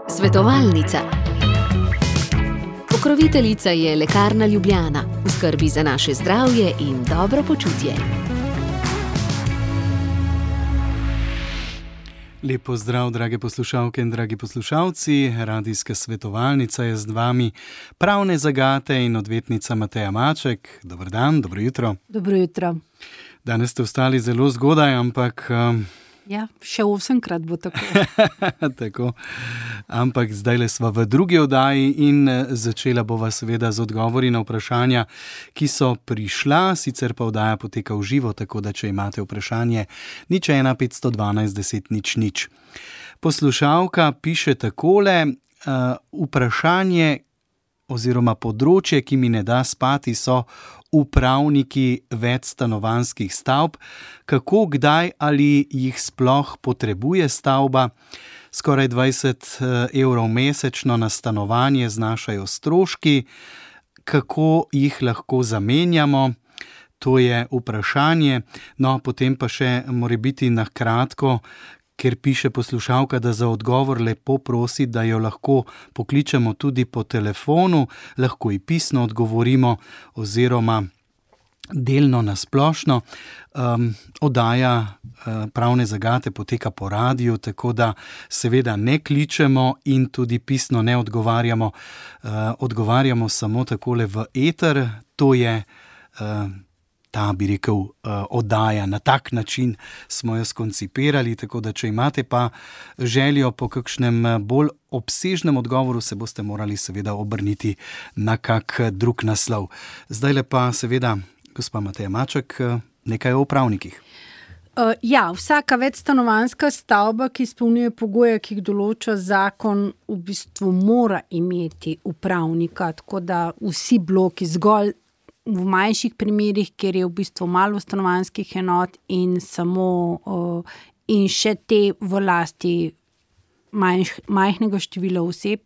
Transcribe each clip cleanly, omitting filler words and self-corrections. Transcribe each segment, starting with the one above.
Svetovalnica. Pokroviteljica je Lekarna Ljubljana, v skrbi za naše zdravje in dobro počutje. Lep pozdrav, drage poslušalke in dragi poslušalci. Radijska svetovalnica je z vami, pravne zagate in odvetnica Mateja Maček. Dober dan, dobro jutro. Dobro jutro. Danes ste vstali zelo zgodaj, ampak... Ja, še 8-krat bo tako. Tako. Ampak zdajle sva v drugi oddaji in začela bova seveda z odgovori na vprašanja, ki so prišla, sicer pa oddaja poteka v živo, tako da če imate vprašanje, 01 512 10 00. Poslušalka piše takole, vprašanje oziroma področje, ki mi ne da spati, so upravniki večstanovanjskih stavb, kako, kdaj ali jih sploh potrebuje stavba. Skoraj 20 evrov mesečno na stanovanje znašajo stroški, kako jih lahko zamenjamo, to je vprašanje. No, potem pa še morebiti na kratko, ker piše poslušalka, da za odgovor lepo prosi, da jo lahko pokličemo tudi po telefonu, lahko ji pisno odgovorimo oziroma delno na splošno. Oddaja pravne zagate poteka po radiju, tako da seveda ne kličemo in tudi pisno ne odgovarjamo. Odgovarjamo samo takole v eter, to je ta, bi rekel, oddaja. Na tak način smo jo skoncipirali, tako da če imate pa željo po kakšnem bolj obsežnem odgovoru, se boste morali seveda obrniti na kak drug naslov. Zdajle pa seveda, gospa Mateja Maček, nekaj o upravnikih. Ja, vsaka večstanovanjska stavba, ki izpolnjuje pogoje, ki jih določa zakon, v bistvu mora imeti upravnika, tako da vsi bloki, zgolj v manjših primerih, kjer je v bistvu malo stanovanjskih enot in še te v lasti majhnega števila oseb,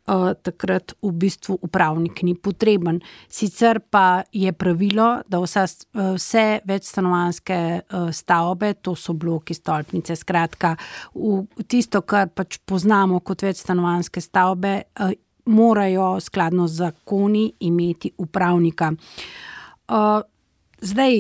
takrat v bistvu upravnik ni potreben. Sicer pa je pravilo, da vse večstanovanjske stavbe, to so bloki, stolpnice, skratka, tisto, kar pač poznamo kot večstanovanjske stavbe, morajo skladno z zakoni imeti upravnika. Zdaj,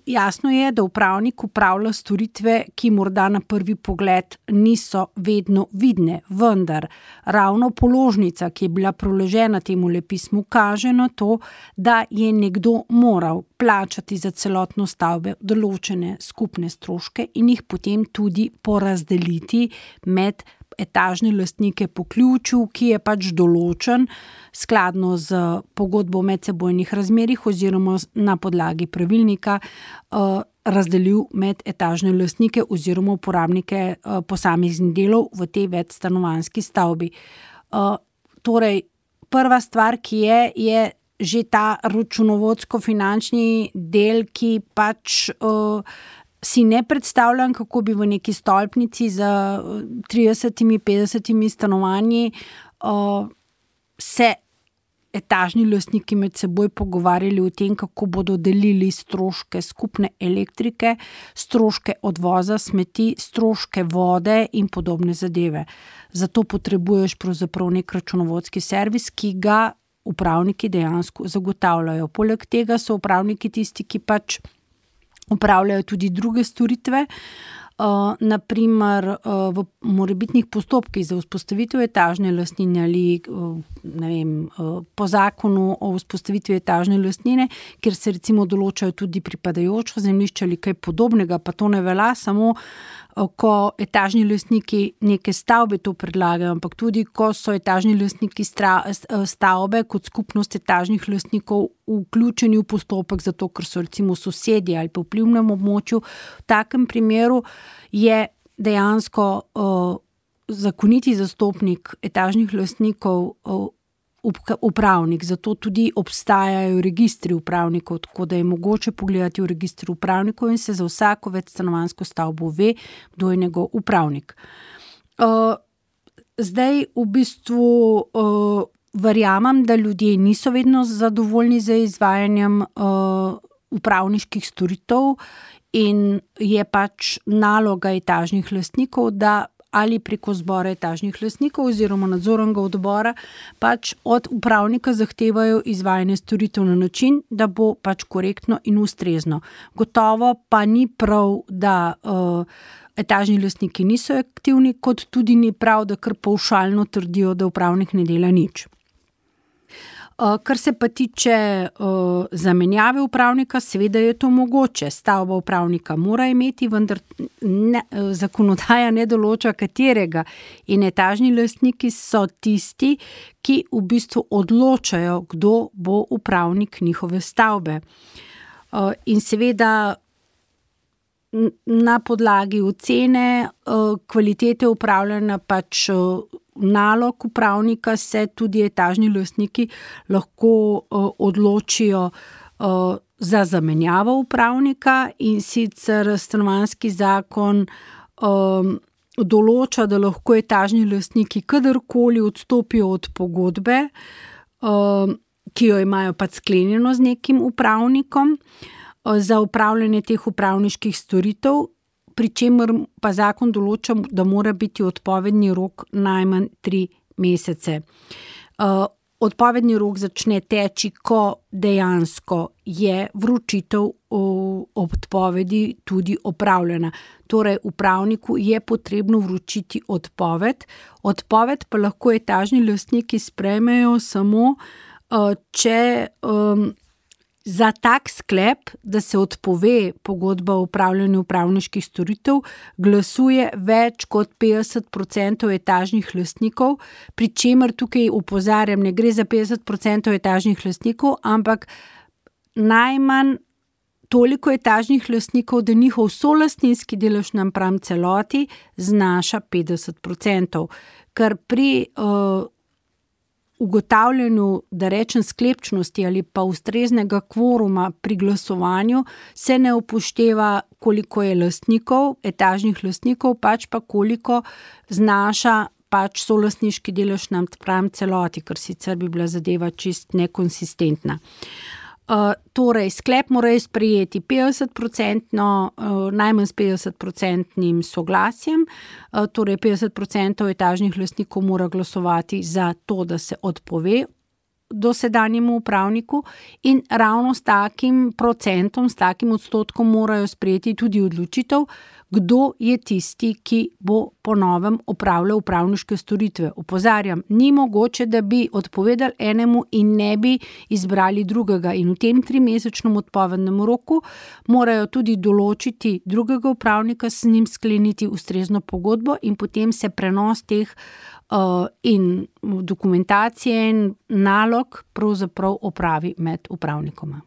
jasno je, da upravnik upravlja storitve, ki morda na prvi pogled niso vedno vidne, vendar ravno položnica, ki je bila priložena temu pismu, kaže na to, da je nekdo moral plačati za celotno stavbe določene skupne stroške in jih potem tudi porazdeliti med etažne lastnike po ključu, ki je pač določen skladno z pogodbo o medsebojnih razmerjih oziroma na podlagi pravilnika razdelil med etažne lastnike oziroma uporabnike posameznih delov v tej večstanovanjski stavbi. Torej, prva stvar, ki je že ta računovodsko-finančni del, ki pač si ne predstavljam, kako bi v neki stolpnici z 30-50 stanovanji se etažni lastniki med seboj pogovarjali o tem, kako bodo delili stroške skupne elektrike, stroške odvoza smeti, stroške vode in podobne zadeve. Zato potrebuješ pravzaprav nek računovodski servis, ki ga upravniki dejansko zagotavljajo. Poleg tega so upravniki tisti, ki pač upravljajo tudi druge storitve, naprimer v morebitnih postopkih za vzpostavitev etažne lastnine ali po zakonu o vzpostavitvi etažne lastnine, kjer se recimo določajo tudi pripadajočo zemljišče ali kaj podobnega, pa to ne velja samo, ko etažni lastniki neke stavbe to predlagajo, ampak tudi, ko so etažni lastniki stavbe kot skupnost etažnih lastnikov vključeni v postopek, zato ker so recimo sosedje ali pa v vplivnem območju. V takem primeru je dejansko zakoniti zastopnik etažnih lastnikov upravnik, zato tudi obstajajo registri upravnikov, tako da je mogoče pogledati v registru upravnikov in se za vsako večstanovanjsko stavbo ve, kdo je njegov upravnik. Zdaj v bistvu verjamem, da ljudje niso vedno zadovoljni z izvajanjem upravniških storitev in je pač naloga etažnih lastnikov, da ali preko zbora etažnih lastnikov oziroma nadzornega odbora pač od upravnika zahtevajo izvajanje storitev na način, da bo pač korektno in ustrezno. Gotovo pa ni prav, da etažni lastniki niso aktivni, kot tudi ni prav, da kar pavšalno trdijo, da upravnik ne dela nič. Kar se pa tiče zamenjave upravnika, seveda je to mogoče. Stavba upravnika mora imeti, vendar zakonodaja ne določa katerega. In etažni lastniki so tisti, ki v bistvu odločajo, kdo bo upravnik njihove stavbe. In seveda na podlagi ocene kvalitete upravljanja pač nalog upravnika se tudi etažni lastniki lahko odločijo za zamenjavo upravnika, in sicer stanovanjski zakon določa, da lahko etažni lastniki kadarkoli odstopijo od pogodbe, ki jo imajo pač sklenjeno z nekim upravnikom za upravljanje teh upravniških storitev, pri čemer pa zakon določa, da mora biti odpovedni rok najmanj 3 mesece. Odpovedni rok začne teči, ko dejansko je vročitev odpovedi tudi opravljena. Torej, upravniku je potrebno vročiti odpoved. Odpoved pa lahko etažni lastniki sprejmejo samo, če za tak sklep, da se odpove pogodba o upravljanju upravniških storitev, glasuje več kot 50% etažnih lastnikov, pri čemer tukaj opozarjam, ne gre za 50% etažnih lastnikov, ampak najmanj toliko etažnih lastnikov, da njihov solastninski delež napram celoti znaša 50%, kar pri ugotavljanju, da rečem, sklepčnosti ali pa ustreznega kvoruma pri glasovanju se ne upošteva, koliko je lastnikov, etažnih lastnikov, pač pa koliko znaša pač solastniški delež napram celoti, ker sicer bi bila zadeva čist nekonsistentna. Torej, sklep morajo sprejeti 50%, najmanj s 50% soglasjem, torej 50% etažnih lastnikov mora glasovati za to, da se odpove dosedanjemu upravniku, in ravno s takim procentom, s takim odstotkom morajo sprejeti tudi odločitev, kdo je tisti, ki bo po novem opravljal upravniške storitve. Opozarjam, ni mogoče, da bi odpovedali enemu in ne bi izbrali drugega, in v tem 3-mesečnem odpovednem roku morajo tudi določiti drugega upravnika, s njim skleniti ustrezno pogodbo in potem se prenos teh in dokumentacije in nalog pravzaprav opravi med upravnikoma.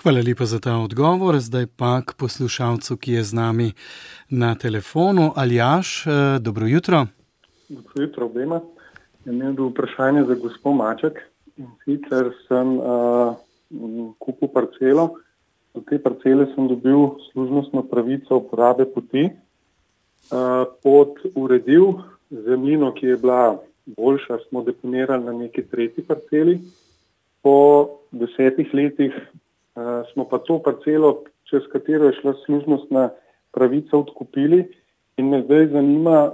Hvala lepa za ta odgovor. Zdaj pa k poslušalcu, ki je z nami na telefonu. Aljaž, dobro jutro. Dobro jutro obema. Imel bi vprašanje za gospod Maček, in sicer sem kupil parcelo. Do te parcele sem dobil služnostno pravico uporabe poti, pod uredil zemljino, ki je bila boljša, smo deponirali na neki tretji parceli. Po 10 letih smo pa to parcelo, čez katero je šla služnostna pravica, odkupili, in me zdaj zanima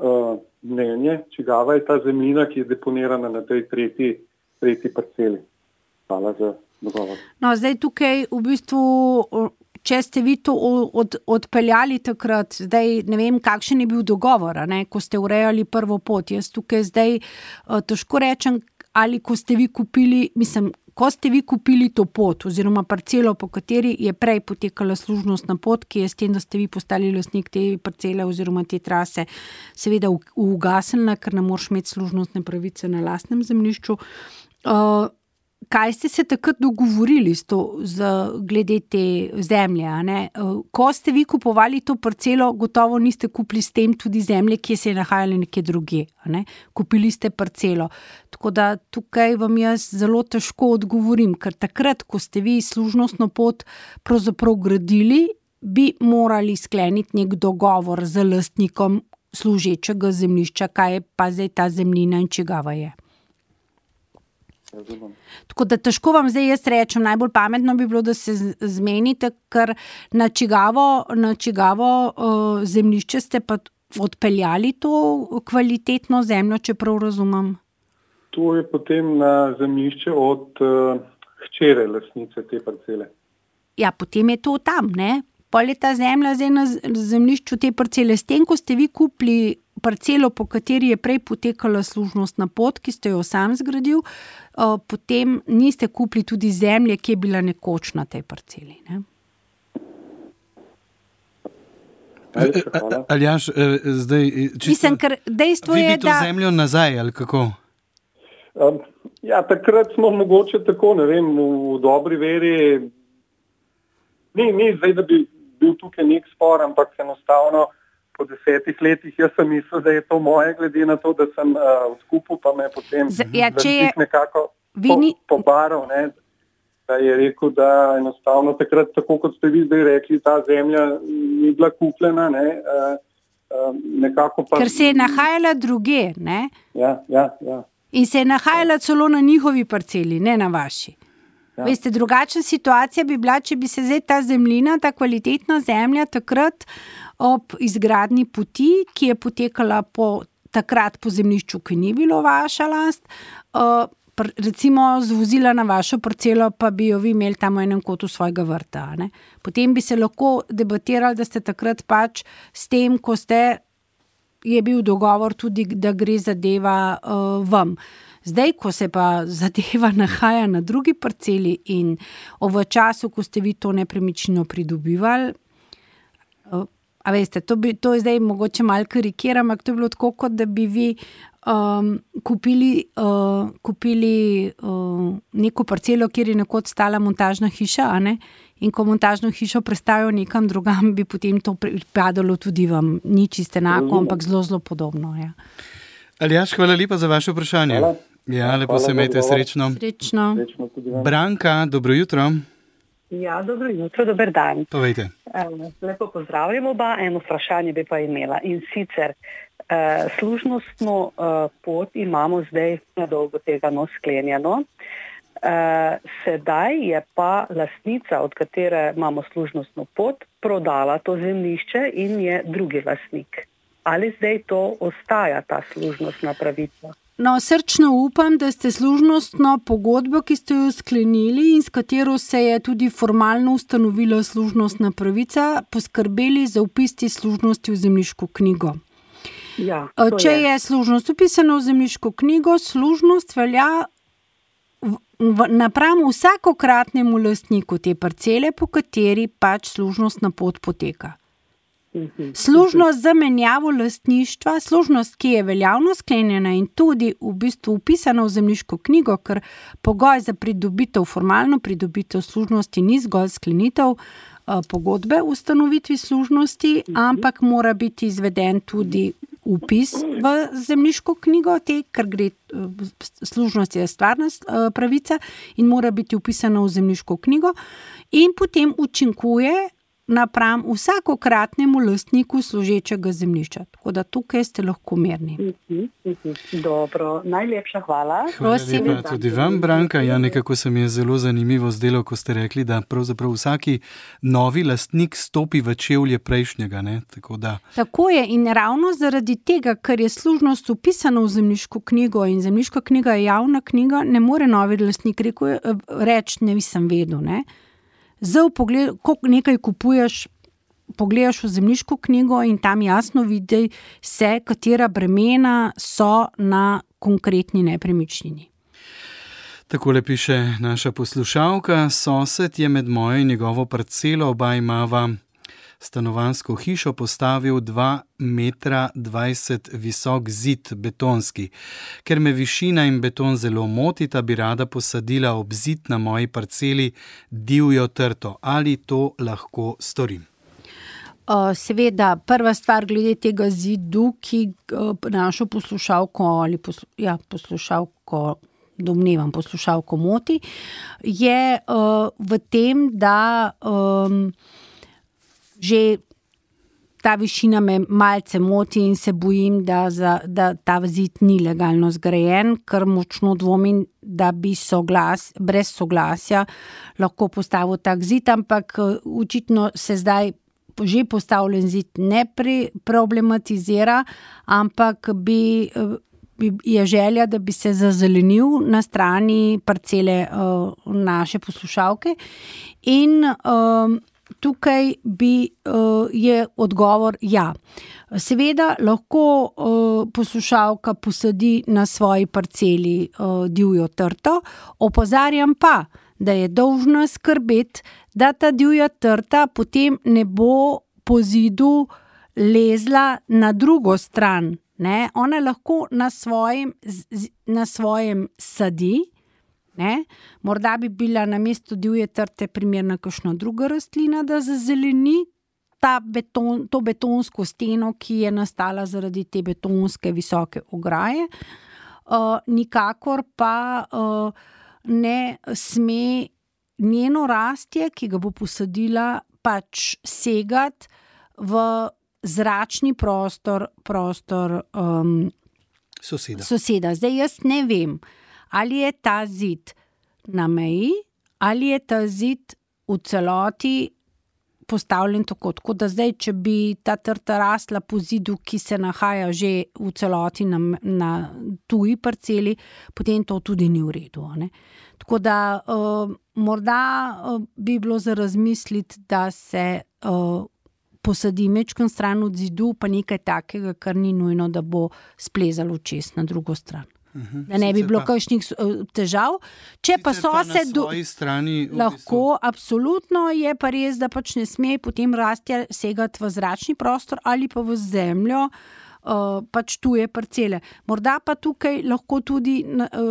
mnenje, čigava je ta zemljina, ki je deponirana na tej tretji parceli. Hvala za dogovor. No, zdaj tukaj v bistvu, če ste vi to odpeljali takrat, zdaj ne vem, kakšen je bil dogovor, ko ste urejali prvo pot. Jaz tukaj zdaj težko rečem, ali ko ste vi kupili to pot oziroma parcelo, po kateri je prej potekala služnostna pot, ki je s tem, da ste vi postali lastnik te parcele oziroma te trase, seveda ugasnila, ker ne moreš imeti služnostne pravice na lastnem zemljišču. Kaj ste se takrat dogovorili glede te zemlje? Ko ste vi kupovali to parcelo, gotovo niste kupili s tem tudi zemlje, ki se je nahajala nekje drugje. Kupili ste parcelo. Tako da tukaj vam jaz zelo težko odgovorim, ker takrat, ko ste vi služnostno pot pravzaprav gradili, bi morali skleniti nek dogovor z lastnikom služečega zemljišča, kaj je pa zdaj ta zemljina in čigava je. Tako da težko vam zdaj jaz rečem, najbolj pametno bi bilo, da se zmenite, ker na čigavo zemljišče ste pa odpeljali to kvalitetno zemljo, če prav razumem? To je potem na zemljišče od hčere lastnice te parcele. Ja, potem je to tam, ne? Pol je ta zemlja zdaj na zemljišču te parcele. S tem, ko ste vi kupili parcelo, po kateri je prej potekala služnostna pot, ki ste jo sam zgradil, potem niste kupili tudi zemlje, ki je bila nekoč na tej parceli, ne? Aljaž, zdaj... Mislim, ker dejstvo je, da... Vi bi to zemljo nazaj, ali kako? Ja, takrat smo mogoče tako, ne vem, v dobri veri, ni zdaj, da bi bil tukaj nek spor, ampak enostavno po 10 letih jaz sem mislil, da je to moje, glede na to, da sem v skupu, pa me potem nekako pobaral, ne, da je rekel, da enostavno takrat, tako kot ste vi zdaj rekli, ta zemlja ni bila kupljena, ne, nekako pa... Ker se je nahajala druge, ne? Ja. In se je nahajala celo na njihovi parceli, ne na vaši. Ja. Veste, drugačna situacija bi bila, če bi se zdaj ta zemljina, ta kvalitetna zemlja takrat ob izgradnji poti, ki je potekala takrat po zemljišču, ki ni bilo vaša last, recimo zvozila na vašo parcelo, pa bi jo vi imeli tam v enem kotu svojega vrta. Ne? Potem bi se lahko debatirali, da ste takrat pač s tem, ko je bil dogovor tudi, da gre zadeva vam. Zdaj, ko se pa zadeva nahaja na drugi parceli in v času, ko ste vi to nepremičnino pridobivali, a veste, to je zdaj mogoče malo karikiram, ampak to je bilo tako, kot da bi vi kupili neko parcelo, kjer je nekoč stala montažna hiša, a ne? In ko montažno hišo prestavijo nekam drugam, bi potem to pripadalo tudi vam. Ni čisto enako, ampak zelo podobno. Ja. Aljaž, hvala lepa za vaše vprašanje. Hvala. Ja, lepo se imejte, srečno. Srečno. Branka, dobro jutro. Ja, dobro jutro, dober dan. Povejte. Lepo pozdravljam oba, eno vprašanje bi pa imela. In sicer, služnostno pot imamo zdaj nedolgo tega sklenjeno. Sedaj je pa lastnica, od katere imamo služnostno pot, prodala to zemljišče in je drugi lastnik. Ali zdaj to ostaja, ta služnostna pravica? No, srčno upam, da ste služnostno pogodbo, ki ste jo sklenili in s katero se je tudi formalno ustanovila služnostna pravica, poskrbeli za vpis te služnosti v zemljiško knjigo. Ja, če je služnost upisana v zemljiško knjigo, služnost velja napram vsakokratnemu lastniku te parcele, po kateri pač služnostna pot poteka. Služnost za menjavo lastništva, služnost, ki je veljavno sklenjena in tudi v bistvu upisana v zemljiško knjigo, ker pogoj za pridobitev, formalno pridobitev služnosti ni zgolj sklenitev pogodbe o ustanovitvi služnosti, ampak mora biti izveden tudi vpis v zemljiško knjigo, ker gre služnost je stvarna pravica in mora biti upisana v zemljiško knjigo in potem učinkuje napram vsakokratnemu lastniku služečega zemljišča. Tako da tukaj ste lahko mirni. Dobro, najlepša hvala. Hvala lepa tudi vam, Branka. Ja, nekako se mi je zelo zanimivo zdelo, ko ste rekli, da pravzaprav vsaki novi lastnik stopi v čevlje prejšnjega. Ne? Tako je in ravno zaradi tega, ker je služnost upisana v zemljiško knjigo in zemljiška knjiga je javna knjiga, ne more novi lastnik reči, ne sem vedel, ne? Zdaj, ko nekaj kupuješ, pogledaš v zemljiško knjigo in tam jasno vidi se, katera bremena so na konkretni nepremičnini. Takole piše naša poslušalka. Sosed je med mojo in njegovo parcelo, oba imava stanovanjsko hišo, postavil 2,20 metra visok zid betonski. Ker me višina in beton zelo motita, bi rada posadila ob zid na moji parceli divjo trto. Ali to lahko storim? Seveda, prva stvar glede tega zidu, ki našo poslušalko ali poslušalko moti, je v tem, da že ta višina me malce moti in se bojim, da ta zid ni legalno zgrajen, ker močno dvomim, da bi brez soglasja lahko postavil tak zid, ampak očitno se zdaj že postavljen zid ne problematizira, ampak je želja, da bi se zazelenil na strani parcele naše poslušalke in tukaj je odgovor ja. Seveda lahko poslušalka posadi na svoji parceli divjo trto, opozarjam pa, da je dolžna skrbeti, da ta divja trta potem ne bo po zidu lezla na drugo stran. Ne? Ona lahko na svojem sadi, ne? Morda bi bila na mesto divje trte primerna kakšna druga rastlina, da zazeleni to betonsko steno, ki je nastala zaradi te betonske visoke ograje. Nikakor pa ne sme njeno rastje, ki ga bo posadila, pač segati v zračni prostor soseda. Zdaj jaz ne vem, ali je ta zid na meji, ali je ta zid v celoti postavljen tako da zdaj, če bi ta trta rasla po zidu, ki se nahaja že v celoti na tuji parceli, potem to tudi ni v redu. Ne? Tako da morda bi bilo za razmisliti, da se posadi mečkan stran od zidu, pa nekaj takega, kar ni nujno, da bo splezalo čez na drugo stran. Da ne bi bilo kakšnih težav. Če pa sosed lahko, absolutno je pa res, da pač ne sme potem rastja segati v zračni prostor ali pa v zemljo pač tuje parcele. Morda pa tukaj lahko tudi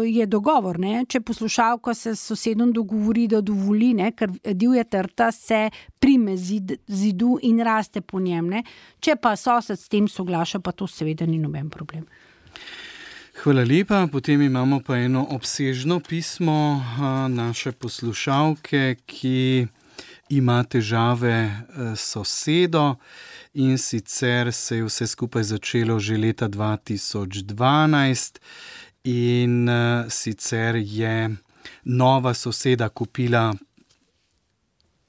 je dogovor, ne? Če poslušalka se s sosedom dogovori, da dovoli, ne? Ker divja trta se prime zidu in raste po njem. Ne? Če pa sosed s tem soglaša, pa to seveda ni noben problem. Hvala lepa. Potem imamo pa eno obsežno pismo naše poslušalke, ki ima težave s sosedo in sicer se je vse skupaj začelo že leta 2012 in sicer je nova soseda kupila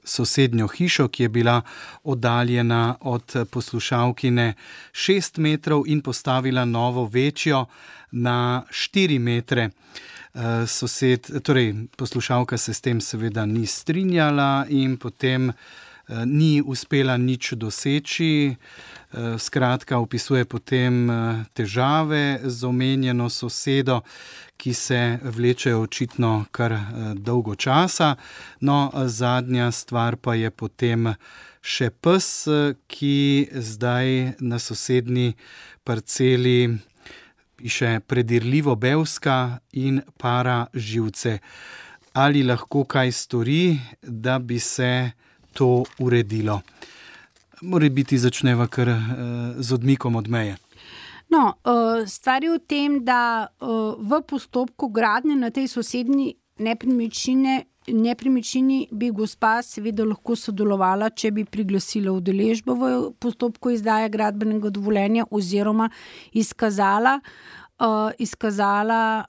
sosednjo hišo, ki je bila oddaljena od poslušalkine 6 metrov in postavila novo večjo na 4 metre. Poslušalka se s tem seveda ni strinjala in potem ni uspela nič doseči. Skratka, opisuje potem težave z omenjeno sosedo, ki se vlečejo očitno kar dolgo časa. No, zadnja stvar pa je potem še pes, ki zdaj na sosednji parceli piše predirljivo bevska in para živce. Ali lahko kaj stori, da bi se to uredilo? Morebiti začneva kar z odmikom od meje. No, stvar je v tem, da v postopku gradnje na tej sosednji nepremičnini bi gospa seveda lahko sodelovala, če bi priglasila udeležbo v postopku izdaje gradbenega dovoljenja oziroma izkazala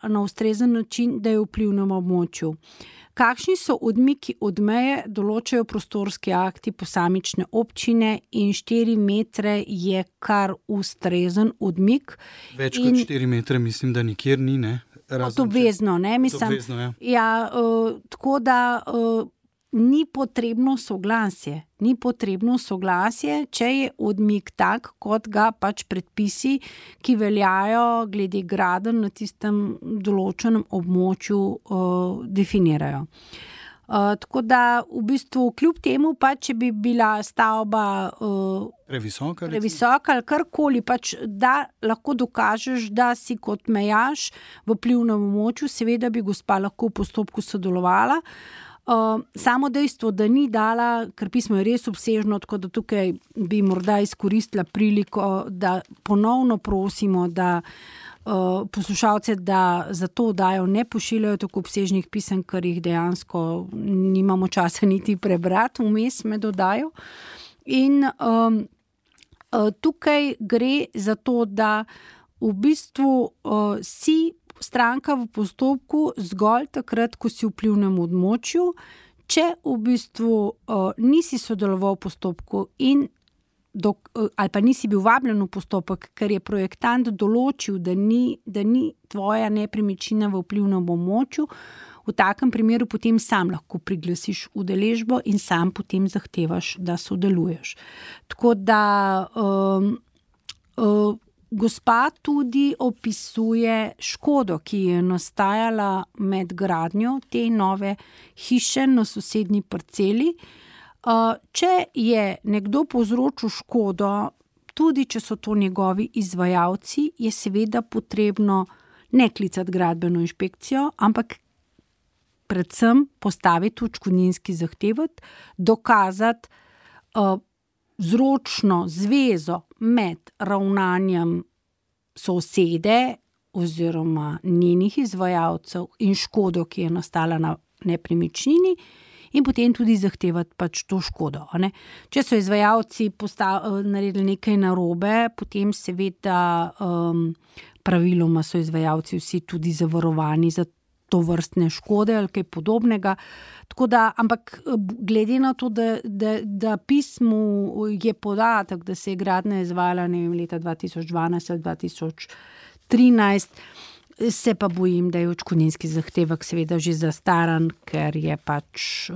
na ustrezen način, da je v vplivnem območju. Kakšni so odmiki od meje, določajo prostorski akti posamične občine in 4 metre je kar ustrezen odmik. Več kot 4 metre mislim, da nikjer ni, ne? Obvezno, ne? Mislim, ja. Ja, tako da ni potrebno soglasje, če je odmik tak, kot ga pač predpisi, ki veljajo glede gradenj na tistem določenem območju, definirajo. Tako da v bistvu kljub temu, pač, če bi bila stavba previsoka ali karkoli, pač, da lahko dokažeš, da si kot mejaš v vplivnem območju, seveda bi gospa lahko v postopku sodelovala. Samo dejstvo, da ni dala, ker pismo je res obsežno, tako da tukaj bi morda izkoristila priliko, da ponovno prosimo, da poslušalce, da za to oddajo ne pošiljajo tako obsežnih pisem, ker jih dejansko nimamo časa niti prebrati, vmes med oddajo. In tukaj gre za to, da v bistvu si stranka v postopku zgolj takrat, ko si v vplivnem območju, če v bistvu nisi sodeloval v postopku in ali pa nisi bil vabljen v postopek, ker je projektant določil, da ni tvoja nepremičnina v vplivnem območju, v takem primeru potem sam lahko priglasiš udeležbo in sam potem zahtevaš, da sodeluješ. Tako da gospa tudi opisuje škodo, ki je nastajala med gradnjo te nove hiše na sosednji parceli. Če je nekdo povzročil škodo, tudi če so to njegovi izvajalci, je seveda potrebno ne klicati gradbeno inšpekcijo, ampak predvsem postaviti odškodninski zahtevek, dokazati vzročno zvezo med ravnanjem sosede oziroma njenih izvajalcev in škodo, ki je nastala na nepremičnini, in potem tudi zahtevati pač to škodo. Ne? Če so izvajalci naredili nekaj narobe, potem seveda praviloma so izvajalci vsi tudi zavarovani za to vrstne škode ali kaj podobnega. Tako da, ampak glede na to, da pismu je podatek, da se je gradnja izvajala leta 2012 ali 2013, se pa bojim, da je odškodninski zahtevek seveda že zastaran, ker je pač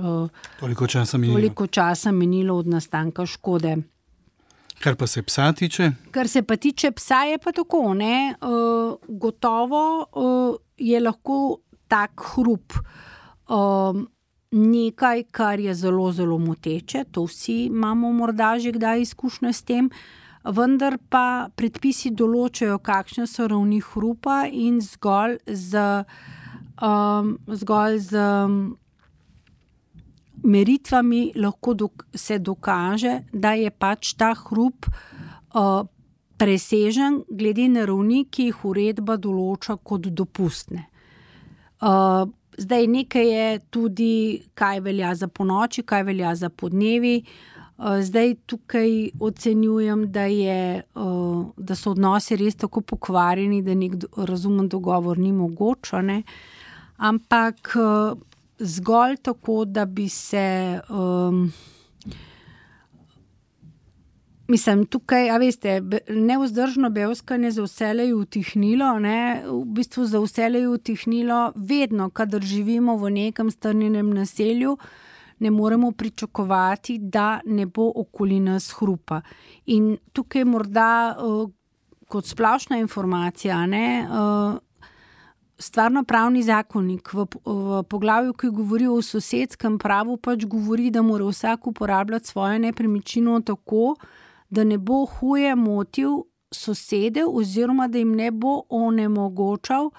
toliko časa minilo od nastanka škode. Kar pa se psa tiče? Kar se pa tiče psa, je pa tako, ne? Gotovo je lahko tak hrup nekaj, kar je zelo, zelo moteče, to vsi imamo morda že kdaj izkušnje s tem, vendar pa predpisi določajo, kakšne so ravni hrupa in zgolj z meritvami lahko se dokaže, da je pač ta hrup presežen glede na ravni, ki jih uredba določa kot dopustne. Zdaj nekaj je tudi, kaj velja za ponoči, kaj velja za podnevi. Zdaj tukaj ocenjujem, da so odnosi res tako pokvarjeni, da nek razumen dogovor ni mogoč, ne? Ampak zgolj tako, da bi se tukaj, a veste, nevzdržno bevskanje za vselej utihnilo, ne, v bistvu za vselej utihnilo vedno, kadar živimo v nekem strnjenem naselju, ne moremo pričakovati, da ne bo okoli nas hrupa. In tukaj morda kot splošna informacija, ne, Stvarnopravni zakonik v poglavju, ki govori o sosedskem pravu, pač govori, da mora vsak uporabljati svojo nepremičnino tako, da ne bo huje motil sosede oziroma da jim ne bo onemogočal,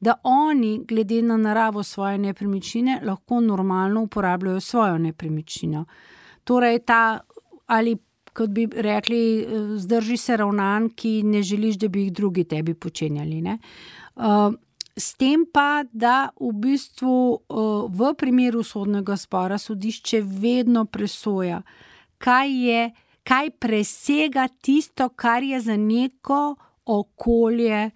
da oni, glede na naravo svoje nepremičnine, lahko normalno uporabljajo svojo nepremičnino. Torej ali kot bi rekli, zdrži se ravnanj, ki ne želiš, da bi jih drugi tebi počenjali, ne? S tem pa, da v bistvu v primeru sodnega spora sodišče vedno presoja, kaj presega tisto, kar je za neko okolje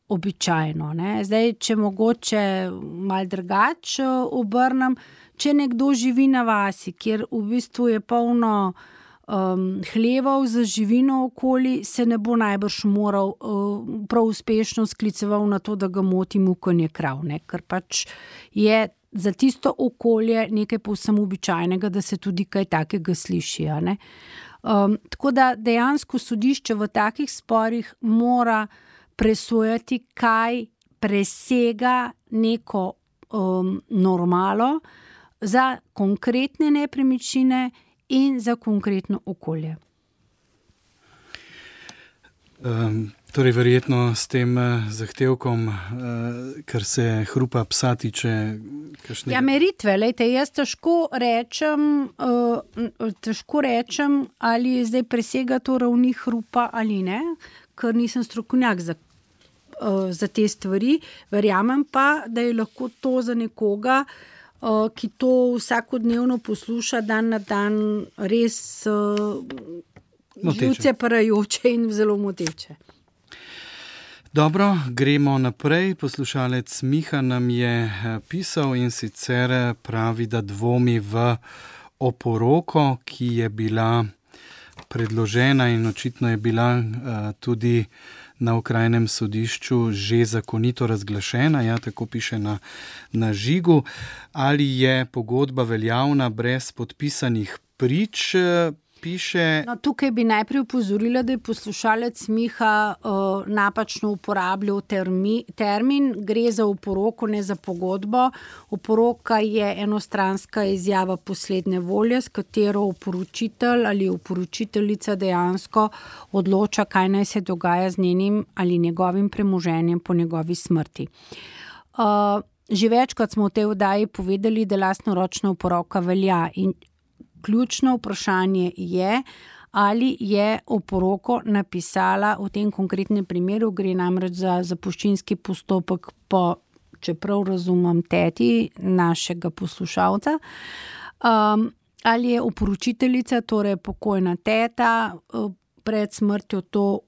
običajno, ne? Zdaj, če mogoče malo drugače obrnem, če nekdo živi na vasi, kjer v bistvu je polno hlevov za živino okoli, se ne bo najbrž moral prav uspešno skliceval na to, da ga moti mukanje krav, ne? Ker pač je za tisto okolje nekaj povsem običajnega, da se tudi kaj takega sliši, ne? Tako da dejansko sodišče v takih sporih mora presojati, kaj presega neko normalo za konkretne nepremičnine in za konkretno okolje. Torej, verjetno s tem zahtevkom, kar se hrupa psa tiče, kakšnega... Ja, meritve, lejte, jaz težko rečem, ali zdaj presega to ravni hrupa ali ne, ker nisem strokovnjak za te stvari. Verjamem pa, da je lahko to za nekoga, ki to vsakodnevno posluša dan na dan, res živce parajoče in zelo moteče. Dobro, gremo naprej. Poslušalec Miha nam je pisal in sicer pravi, da dvomi v oporoko, ki je bila predložena in očitno je bila tudi na okrajnem sodišču že zakonito razglašena, ja, tako piše na žigu. Ali je pogodba veljavna brez podpisanih prič, piše. No, tukaj bi najprej upozorila, da je poslušalec Miha napačno uporabljal termin. Gre za oporoko, ne za pogodbo. Oporoka je enostranska izjava poslednje volje, s katero oporočitelj ali oporočiteljica dejansko odloča, kaj naj se dogaja z njenim ali njegovim premoženjem po njegovi smrti. Že večkrat smo v tej oddaji povedali, da lastnoročna oporoka velja in ključno vprašanje je, ali je oporoko napisala v tem konkretnem primeru, gre namreč za zapuščinski postopek po, čeprav razumem, teti našega poslušalca, ali je oporočiteljica, torej pokojna teta, pred smrtjo to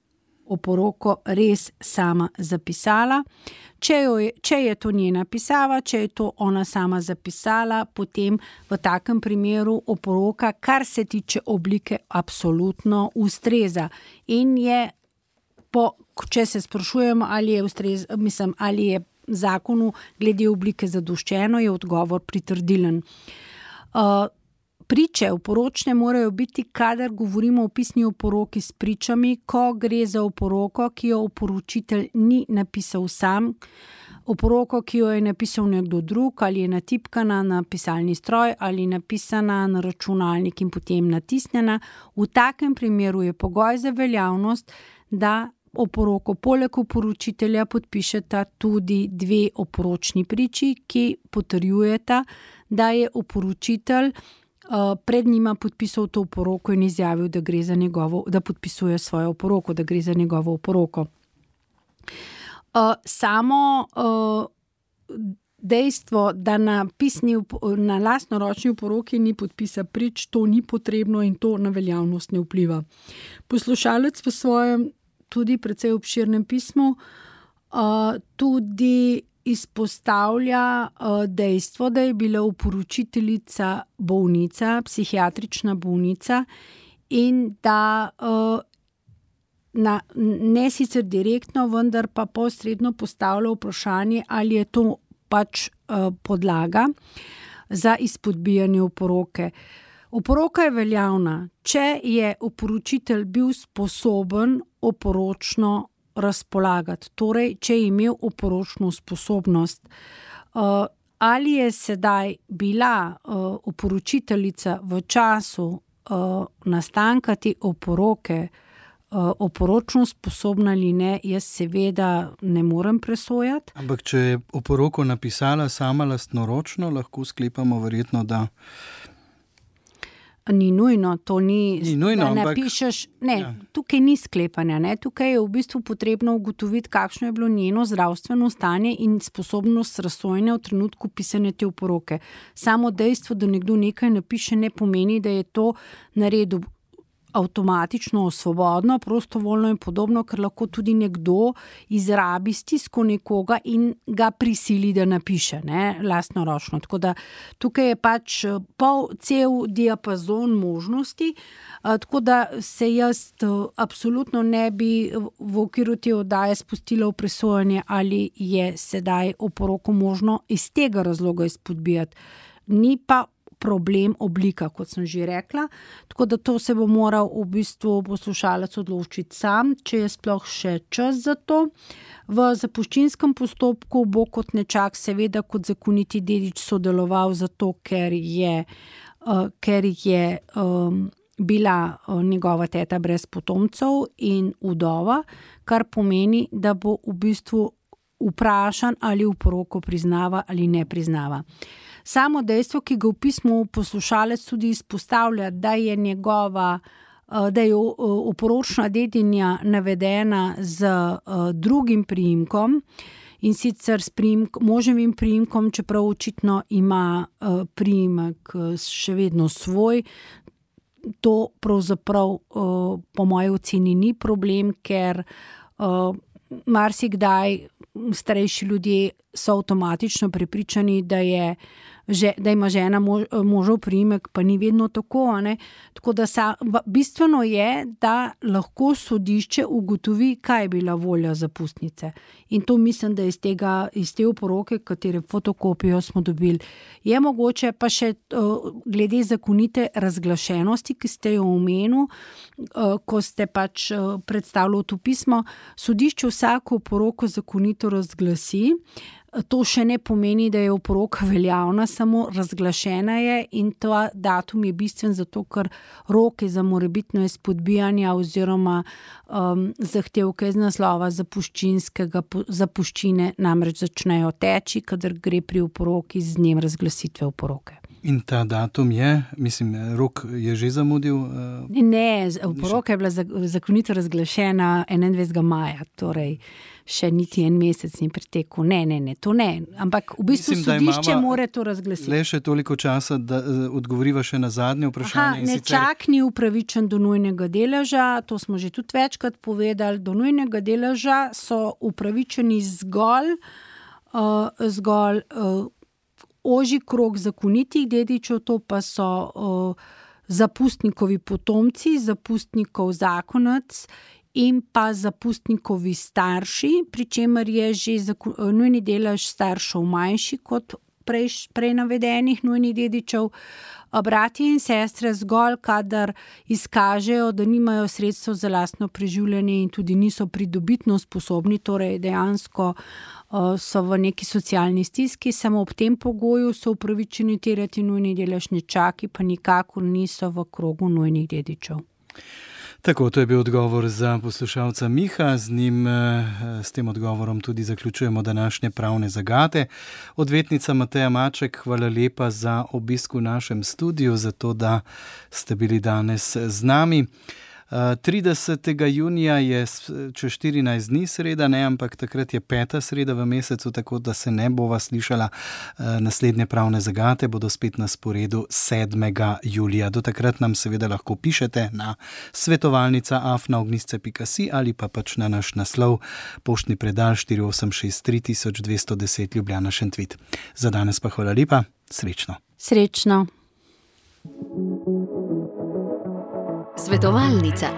oporoko res sama zapisala. Če je to njena pisava, če je to ona sama zapisala, potem v takem primeru oporoka, kar se tiče oblike, absolutno ustreza. In je, če se sprašujemo, ali je zakonu glede oblike zadoščeno, je odgovor pritrdilen. Priče oporočne morajo biti, kadar govorimo o pisni oporoki s pričami, ko gre za oporoko, ki jo oporočitelj ni napisal sam, oporoko, ki jo je napisal nekdo drug, ali je natipkana na pisalni stroj, ali napisana na računalnik in potem natisnjena. V takem primeru je pogoj za veljavnost, da oporoko poleg oporočitelja podpišeta tudi dve oporočni priči, ki potrjujeta, da je oporočitelj pred njima podpisal to oporoko in izjavil, da podpisuje svojo oporoko, da gre za njegovo oporoko. Samo dejstvo, da na lastnoročni oporoki ni podpisa prič, to ni potrebno in to na veljavnost ne vpliva. Poslušalec v svojem tudi precej obširnem pismu tudi izpostavlja dejstvo, da je bila oporočiteljica bolnica, psihiatrična bolnica in da ne sicer direktno, vendar pa posredno postavlja vprašanje, ali je to pač podlaga za izpodbijanje oporoke. Oporoka je veljavna, če je oporočitelj bil sposoben oporočno razpolagati, torej, če je imel oporočno sposobnost. Ali je sedaj bila oporočiteljica v času nastanka te oporoke oporočno sposobna ali ne, jaz seveda ne morem presojati. Ampak če je oporoko napisala sama lastnoročno, lahko sklepamo verjetno, da Ni nujno, to ni nujno, da napišeš, tukaj ni sklepanja, ne, tukaj je v bistvu potrebno ugotoviti, kakšno je bilo njeno zdravstveno stanje in sposobnost razsojanja v trenutku pisanja te oporoke. Samo dejstvo, da nekdo nekaj napiše, ne pomeni, da je to naredil avtomatično, svobodno, prostovoljno in podobno, ker lahko tudi nekdo izrabi stisko nekoga in ga prisili, da napiše, ne, lastnoročno. Tako da tukaj je pač cel diapazon možnosti, tako da se jaz absolutno ne bi v okviru te oddaje spustila v presojanje, ali je sedaj oporoko možno iz tega razloga izpodbijati. Ni pa problem oblika, kot sem že rekla, tako da to se bo moral v bistvu poslušalec odločiti sam, če je sploh še čas za to. V zapuščinskem postopku bo kot nečak seveda kot zakoniti dedič sodeloval zato, ker je bila njegova teta brez potomcev in vdova, kar pomeni, da bo v bistvu vprašan, ali oporoko priznava ali ne priznava. Samo dejstvo, ki ga v pismu poslušalec tudi izpostavlja, da je oporočna dedinja navedena z drugim priimkom in sicer s moževim priimkom, čeprav očitno ima priimek še vedno svoj. To pravzaprav po moji oceni ni problem, ker marsikdaj starejši ljudje so avtomatično prepričani, da ima žena možev priimek, pa ni vedno tako. Tako da bistveno je, da lahko sodišče ugotovi, kaj je bila volja zapustnice. In to mislim, da iz te oporoke, katere fotokopijo smo dobili. Je mogoče pa še glede zakonite razglašenosti, ki ste jo omenili, ko ste pač predstavljali to pismo, sodišče vsako oporoko zakonito razglasi. To še ne pomeni, da je oporoka veljavna, samo razglašena je in ta datum je bistven zato, ker roke za morebitno izpodbijanje oziroma zahtevke iz naslova zapuščine namreč začnejo teči, kadar gre pri oporoki z dnem razglasitve oporoke. In ta datum rok je že zamudil? Ne, oporoka je bila zakonito razglašena 21. maja, torej še niti en mesec ni pretekel. Ne, to ne. Ampak v bistvu sodišče mora to razglasiti. Le še toliko časa, da odgovoriva še na zadnje vprašanje. Nečak ni upravičen do nujnega deleža, to smo že tudi večkrat povedali. Do nujnega deleža so upravičeni zgolj ožji krog zakonitih dedičev, to pa so zapustnikovi potomci, zapustnikov zakonec in pa zapustnikovi starši, pri čemer je že nujni delež staršev manjši kot prej navedenih nujnih dedičev. Bratje in sestre zgolj, kadar izkažejo, da nimajo sredstev za lastno preživljanje in tudi niso pridobitno sposobni, torej dejansko so v neki socialni stiski, samo ob tem pogoju so upravičeni terjati nujni delež, nečaki pa nikakor niso v krogu nujnih dedičev. Tako, to je bil odgovor za poslušalca Miha, s tem odgovorom tudi zaključujemo današnje pravne zagate. Odvetnica Mateja Maček, hvala lepa za obisk v našem studiu, za to, da ste bili danes z nami. 30. junija je čez 14 dni sreda, ampak takrat je 5. sreda v mesecu, tako da se ne bova slišala. Naslednje pravne zagate bodo spet na sporedu 7. julija. Do takrat nam seveda lahko pišete na svetovalnica@ognisce.si ali pa pač na naš naslov poštni predal 4863 210 Ljubljana Šentvid. Za danes pa hvala lepa, srečno. Srečno. Svetovalnica.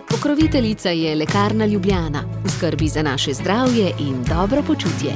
Pokroviteljica je Lekarna Ljubljana, v skrbi za naše zdravje in dobro počutje.